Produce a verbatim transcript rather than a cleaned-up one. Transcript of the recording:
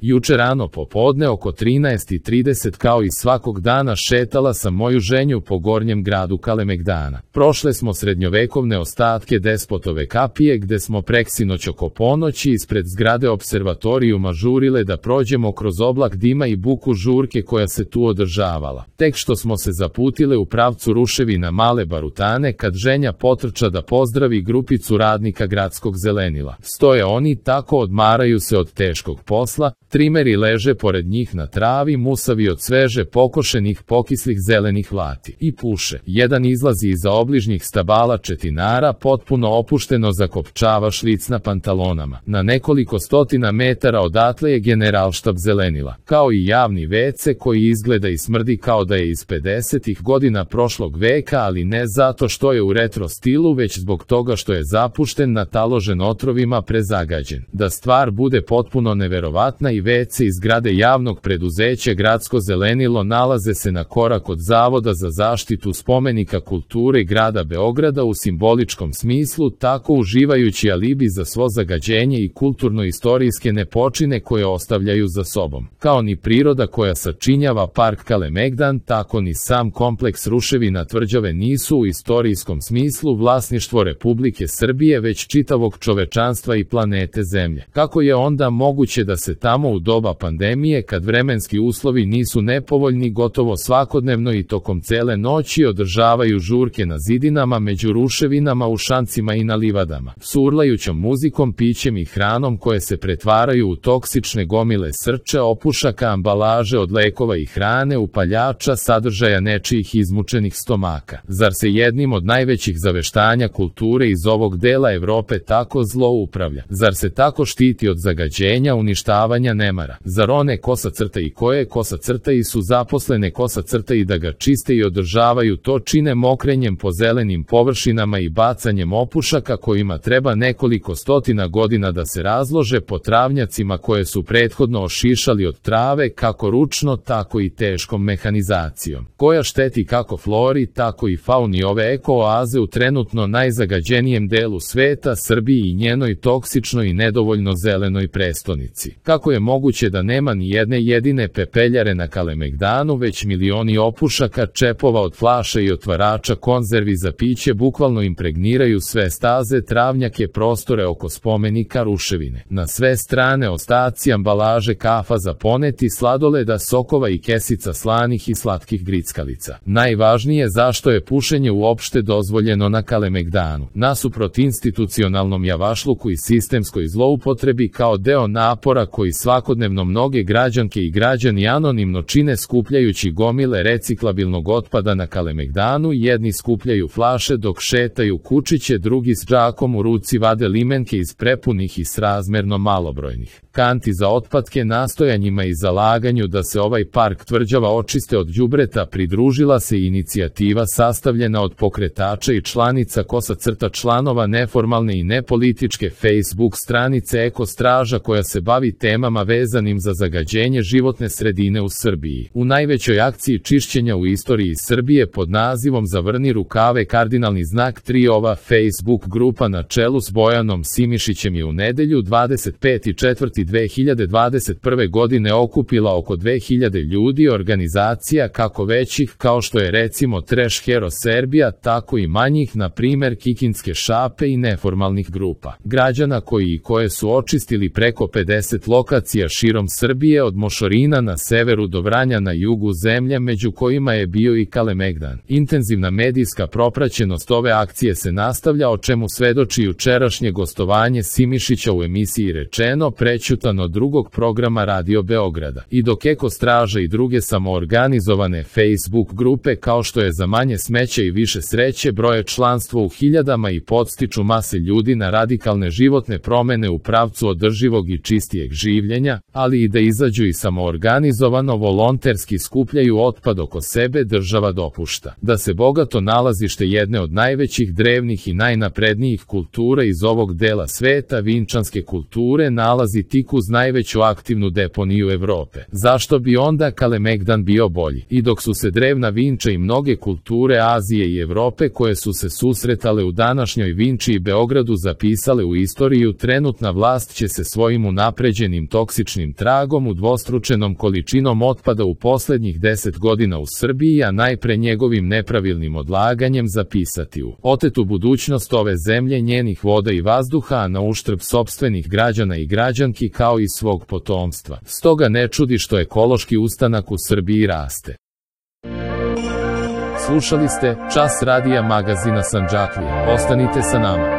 Juče rano popodne oko trinaest i trideset kao i svakog dana šetala sam moju ženju po gornjem gradu Kalemegdana. Prošle smo srednjovekovne ostatke Despotove kapije gde smo preksinoć oko ponoći ispred zgrade observatorijuma žurile da prođemo kroz oblak dima i buku žurke koja se tu održavala. Tek što smo se zaputile u pravcu ruševina Male Barutane kad ženja potrča da pozdravi grupicu radnika gradskog zelenila. Stoje oni tako, odmaraju se od teškog posla, trimeri leže pored njih na travi, musavi od sveže pokošenih pokislih zelenih vlati. I puše. Jedan izlazi iza obližnjih stabala četinara, potpuno opušteno zakopčava šlic na pantalonama. Na nekoliko stotina metara odatle je generalštab zelenila. Kao i javni ve ce koji izgleda i smrdi kao da je iz pedesetih godina prošlog veka, ali ne zato što je u retro stilu, već zbog toga što je zapušten, nataložen otrovima, prezagađen. Da stvar bude potpuno neverovatna, i ve ce iz zgrade javnog preduzeća Gradsko zelenilo nalaze se na korak od Zavoda za zaštitu spomenika kulture grada Beograda u simboličkom smislu, tako uživajući alibi za svo zagađenje i kulturno-istorijske nepočine koje ostavljaju za sobom. Kao ni priroda koja sačinjava park Kalemegdan, tako ni sam kompleks ruševina tvrđave nisu u istorijskom smislu vlasništvo Republike Srbije, već čitavog čovečanstva i planete Zemlje. Kako je onda moguće da se tamo u doba pandemije, kad vremenski uslovi nisu nepovoljni, gotovo svakodnevno i tokom cele noći održavaju žurke na zidinama, među ruševinama, u šancima i na livadama, s urlajućom muzikom, pićem i hranom koje se pretvaraju u toksične gomile srča, opušaka, ambalaže od lekova i hrane, upaljača, sadržaja nečijih izmučenih stomaka? Zar se jednim od najvećih zaveštanja kulture iz ovog dela Evrope tako zlo upravlja? Zar se tako štiti od zagađenja, uništavanja, nemara? Zar one kosa crta i koje kosa crta i su zaposlene kosa crta i da ga čiste i održavaju to čine mokrenjem po zelenim površinama i bacanjem opušaka kojima treba nekoliko stotina godina da se razlože po travnjacima koje su prethodno ošišali od trave, kako ručno, tako i teškom mehanizacijom, koja šteti kako flori, tako i fauni ove eko-oaze u trenutno najzagađenijem delu sveta, Srbiji i njenoj toksičnoj i nedovoljno zelenoj prestonici? Kako je moguće da nema ni jedne jedine pepeljare na Kalemegdanu, već milioni opušaka, čepova od flaša i otvarača konzervi za piće bukvalno impregniraju sve staze, travnjake, prostore oko spomenika, ruševine. Na sve strane ostaci ambalaže kafa za poneti, sladoleda, sokova i kesica slanih i slatkih grickalica. Najvažnije, zašto je pušenje uopšte dozvoljeno na Kalemegdanu? Nasuprot institucionalnom javašluku i sistemskoj zloupotrebi, kao deo napora koji svakodnevno mnoge građanke i građani anonimno čine skupljajući gomile reciklabilnog otpada na Kalemegdanu, jedni skupljaju flaše dok šetaju kučiće, drugi s džakom u ruci vade limenke iz prepunih i srazmerno malobrojnih kanti za otpadke. Nastojanjima i zalaganju da se ovaj park tvrđava očiste od đubreta pridružila se inicijativa sastavljena od pokretača i članica kosa crta članova neformalne i nepolitičke Facebook stranice Eko Straža koja se bavi temama vezanim za zagađenje životne sredine u Srbiji. U najvećoj akciji čišćenja u istoriji Srbije pod nazivom Zavrni rukave kardinalni znak tri, ova Facebook grupa na čelu s Bojanom Simišićem je u nedelju dvadeset peti četvrti dve hiljade dvadeset prve. godine okupila oko dve hiljade ljudi, organizacija kako većih kao što je recimo Trash Hero Serbia, tako i manjih, na primer Kikinske šape, i neformalnih grupa građana koji i koje su očistili preko pedeset lokacija širom Srbije, od Mošorina na severu do Vranja na jugu zemlje, među kojima je bio i Kalemegdan. Intenzivna medijska propraćenost ove akcije se nastavlja, o čemu svedoči jučerašnje gostovanje Simišića u emisiji Rečeno, prećutano drugog programa Radio Beograda. I dok Eko Straža i druge samoorganizovane Facebook grupe kao što je Za manje smeća i više sreće broje članstvo u hiljadama i podstiču mase ljudi na radikalne životne promene u pravcu održivog i čistijeg življenja, ali i da izađu i samoorganizovano volonterski skupljaju otpad oko sebe, država dopušta da se bogato nalazište jedne od najvećih drevnih i najnaprednijih kultura iz ovog dela sveta, vinčanske kulture, nalazi tik uz najveću aktivnu deponiju Evrope. Zašto bi onda Kalemegdan bio bolji? I dok su se drevna Vinča i mnoge kulture Azije i Evrope koje su se susretale u današnjoj Vinči i Beogradu zapisale u istoriju, trenutna vlast će se svojim unapređenim toksičnim toksičnim tragom udvostručenom količinom otpada u posljednjih deset godina u Srbiji, a najpre njegovim nepravilnim odlaganjem zapisati u otetu budućnost ove zemlje, njenih voda i vazduha, a na uštrb sopstvenih građana i građanki kao i svog potomstva. Stoga ne čudi što ekološki ustanak u Srbiji raste. Slušali ste Čas radija magazina Sandžaklija. Ostanite sa nama.